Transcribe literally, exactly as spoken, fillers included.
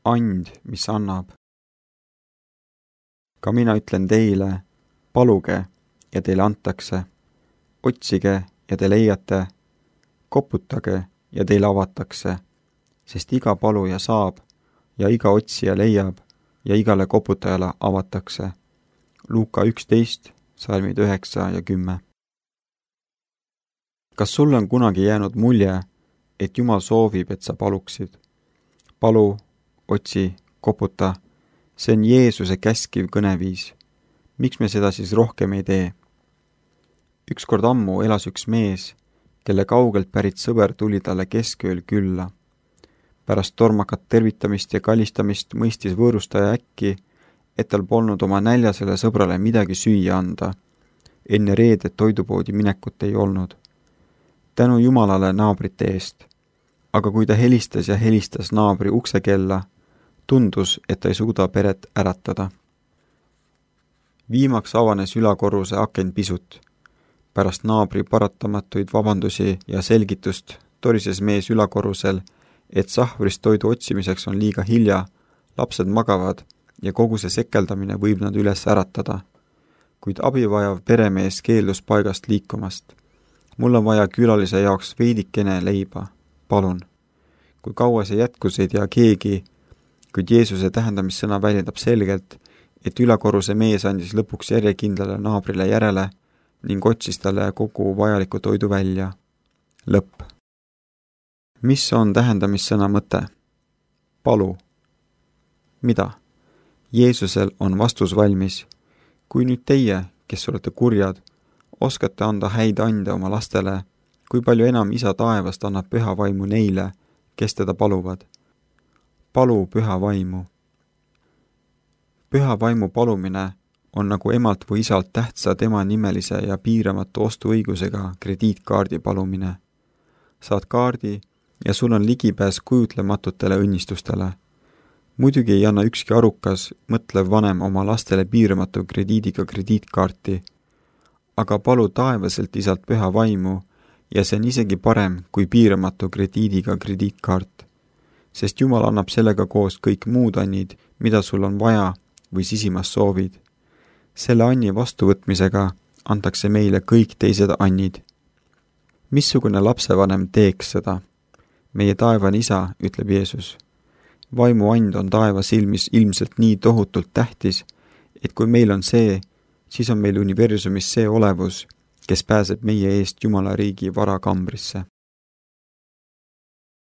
and, mis annab. Ka mina ütlen teile, paluge ja teile antakse, otsige ja te leiate, koputage ja teile avatakse, sest iga paluja saab ja iga otsija leiab ja igale koputajale avatakse. Luuka üksteist, salmid üheksa ja kümme. Kas sul on kunagi jäänud mulje, et Jumal soovib, et sa paluksid? Palu, otsi, koputa, see on Jeesuse käskiv kõneviis. Miks me seda siis rohkem ei tee? Ükskord ammu elas üks mees, kelle kaugelt pärit sõber tuli talle keskööl külla. Pärast tormakat tervitamist ja kallistamist mõistis võõrustaja äkki, et tal polnud oma näljasele sõbrale midagi süüa anda. Enne reedet toidupoodi minekut ei olnud. Tänu Jumalale naabrite eest. Aga kui ta helistas ja helistas naabri uksekella, tundus, et ta ei suuda peret äratada. Viimaks avanes ülakorruse aken pisut. Pärast naabri paratamatuid vabandusi ja selgitust torises mees ülakorrusel, et sahvrist toidu otsimiseks on liiga hilja, lapsed magavad ja kogu see sekeldamine võib nad üles äratada. Kuid abivajav peremees keeldus paigast liikumast. Mul on vaja külalise jaoks veidikene leiba. Palun. Kui kaua see jätkus, ei tea keegi, kuid Jeesuse tähendamissõna väljendab selgelt, et ülakorruse mees andis lõpuks järjekindlale naabrile järele ning otsis talle kogu vajaliku toidu välja. Lõpp. Mis on tähendamissõna mõte? Palu. Mida? Jeesusel on vastus valmis. Kui nüüd teie, kes olete kurjad, oskate anda häid ande oma lastele, kui palju enam Isa taevast annab püha vaimu neile, kes teda paluvad. Palu püha vaimu. Püha vaimu palumine on nagu emalt või isalt tähtsa tema nimelise ja piiramatu ostuõigusega krediitkaardi palumine. Saad kaardi ja sul on ligipääs kujutlematutele õnnistustele. Muidugi ei anna ükski arukas, mõtlev vanem oma lastele piiramatu krediidiga krediitkaarti, aga palu taevaselt isalt püha vaimu ja see on isegi parem kui piiramatu krediidiga krediitkaart, sest Jumal annab sellega koos kõik muud annid, mida sul on vaja või sisimas soovid. Selle anni vastuvõtmisega antakse meile kõik teised annid. Missugune lapsevanem teeks seda? Meie taevane Isa, ütleb Jeesus. Vaimu and on taeva silmis ilmselt nii tohutult tähtis, et kui meil on see, siis on meil universumis see olevus, kes pääseb meie eest Jumala riigi varakambrisse.